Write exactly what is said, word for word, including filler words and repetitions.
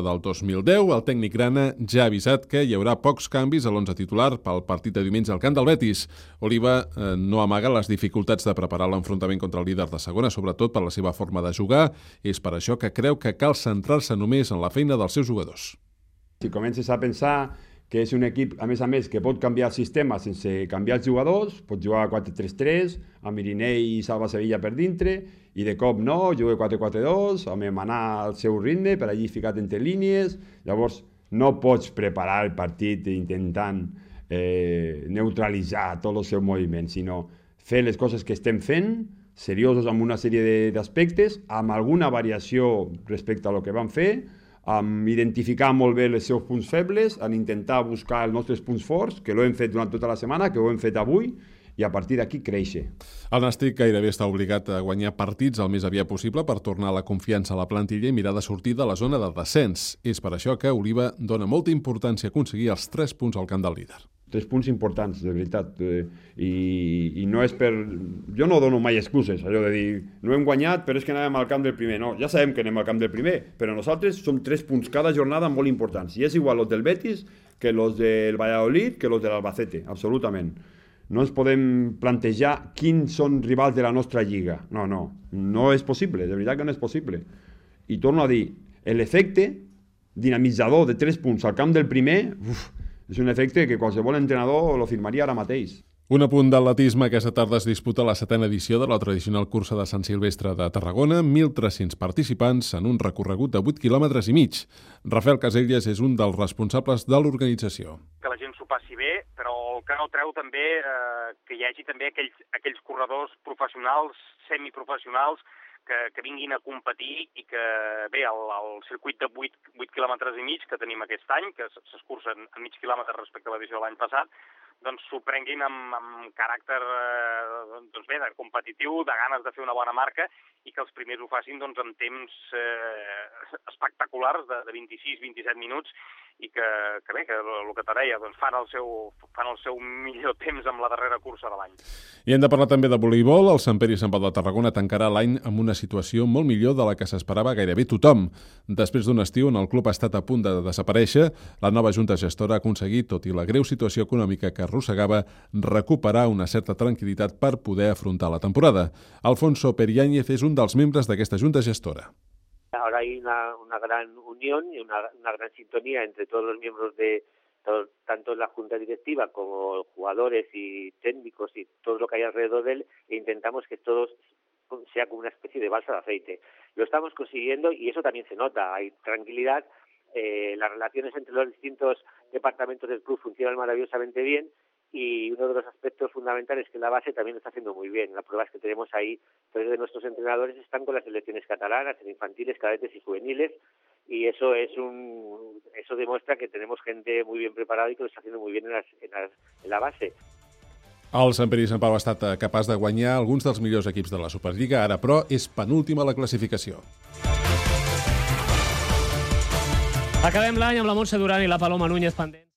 Del dos mil deu, el tècnic grana ja ha avisat que hi haurà pocs canvis a l'onze titular pel partit de diumenge al camp del Betis. Oliva eh, no amaga les dificultats de preparar l'enfrontament contra el líder de segona, sobretot per la seva forma de jugar. És per això que creu que cal centrar-se només en la feina dels seus jugadors. Si comences a pensar que és un equip, a més a més, que pot canviar el sistema sense canviar els jugadors, pot jugar a quatre tres tres, amb Irinei i Salva Sevilla per dintre, i de cop no, juga quatre quatre dos, amb manar al seu ritme, per allí ficat entre línies. Llavors, no pots preparar el partit intentant eh, neutralitzar tots els seus moviments, sinó fer les coses que estem fent, seriosos amb una sèrie d'aspectes, amb alguna variació respecte a lo que vam fer, amb identificar molt bé els seus punts febles, en intentar buscar els nostres punts forts, que l'hem fet durant tota la setmana, que ho hem fet avui, i a partir d'aquí créixer. El Nàstic gairebé està obligat a guanyar partits el més aviat possible per tornar la confiança a la plantilla i mirar de sortir de la zona de descens. És per això que Oliva dona molta importància a aconseguir els tres punts al camp del líder. Tres punts importants, de veritat, eh, i, i no és per... Jo no dono mai excuses, allò de dir, no hem guanyat, però és que anàvem al camp del primer. No, ja sabem que anem al camp del primer, però nosaltres som tres punts cada jornada molt importants, i és igual els del Betis que els del Valladolid que els de l'Albacete, absolutament. No ens podem plantejar quins són rivals de la nostra lliga. No, no, no és possible, de veritat que no és possible. I torno a dir, l'efecte dinamitzador de tres punts al camp del primer... Uf, és un efecte que qualsevol entrenador lo firmaria ara mateix. Un apunt d'atletisme. Aquesta tarda es disputa la setena edició de la tradicional cursa de Sant Silvestre de Tarragona, mil tres-cents participants en un recorregut de vuit quilòmetres i mig. Rafael Caselles és un dels responsables de l'organització. Que la gent s'ho passi bé, però el que no treu també eh, que hi hagi també aquells, aquells corredors professionals, semiprofessionals, que, que vinguin a competir i que, bé, el, el circuit de vuit quilòmetres i mig que tenim aquest any, que s'escurça en mig quilòmetre respecte a l'edició de l'any passat, doncs s'ho prenguin amb, amb caràcter eh, doncs bé, de competitiu, de ganes de fer una bona marca, i que els primers ho facin doncs, amb temps eh, espectaculars de, de vint-i-sis a vint-i-set minuts, i que, que bé, que el que te deia, doncs fan el seu, fan el seu millor temps amb la darrera cursa de l'any. I hem de parlar també de voleibol. El Sant Pere i Sant Pau de Tarragona tancarà l'any amb una situació molt millor de la que s'esperava gairebé tothom. Després d'un estiu on el club ha estat a punt de desaparèixer, la nova junta gestora ha aconseguit, tot i la greu situació econòmica que arrossegava, recuperar una certa tranquil·litat per poder afrontar la temporada. Alfonso Periáñez és un dels membres d'aquesta junta gestora. Ahora hay una, una gran unión y una, una gran sintonía entre todos los miembros de todo, tanto la junta directiva como jugadores y técnicos y todo lo que hay alrededor de él, e intentamos que todo sea como una especie de balsa de aceite. Lo estamos consiguiendo y eso también se nota, hay tranquilidad, eh, las relaciones entre los distintos departamentos del club funcionan maravillosamente bien, y uno de los aspectos fundamentales es que la base también lo está haciendo muy bien. La prueba es que tenemos ahí, tres de nuestros entrenadores están con las selecciones catalanas, en infantiles, cadetes y juveniles, y eso es un eso demuestra que tenemos gente muy bien preparada y que lo está haciendo muy bien en, las, en, las, en la base. El Sant Pere i Sant Pau ha estat capaç de guanyar alguns dels millors equips de la Superliga, ara però és penúltima a la classificació. Acabem l'any amb la Montse Duran i la Paloma Núñez pendents.